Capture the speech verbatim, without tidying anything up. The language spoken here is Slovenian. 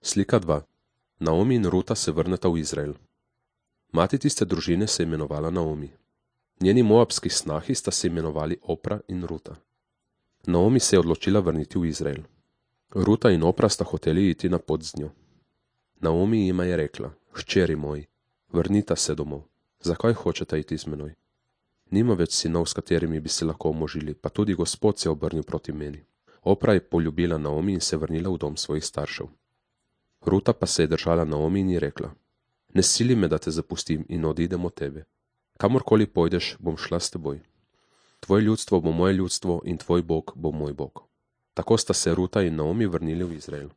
Slika dva. Naomi in Ruta se vrneta v Izrael. Mati tiste družine se je imenovala Naomi. Njeni moabski snahi sta se imenovali Opra in Ruta. Naomi se je odločila vrniti v Izrael. Ruta in Opra sta hoteli iti na pot z njo. Naomi jima je rekla: Hčeri moji, vrnita se domov. Zakaj hočete iti z menoj? Nima več sinov, s katerimi bi se lahko omožili, pa tudi Gospod se je obrnil proti meni. Opra je poljubila Naomi in se vrnila v dom svojih staršev. Ruta pa se je držala Naomi in ji rekla: Ne sili me, da te zapustim in odidem od tebe. Kamorkoli pojdeš, bom šla s teboj. Tvoje ljudstvo bo moje ljudstvo in tvoj Bog bo moj Bog. Tako sta se Ruta in Naomi vrnili v Izrael.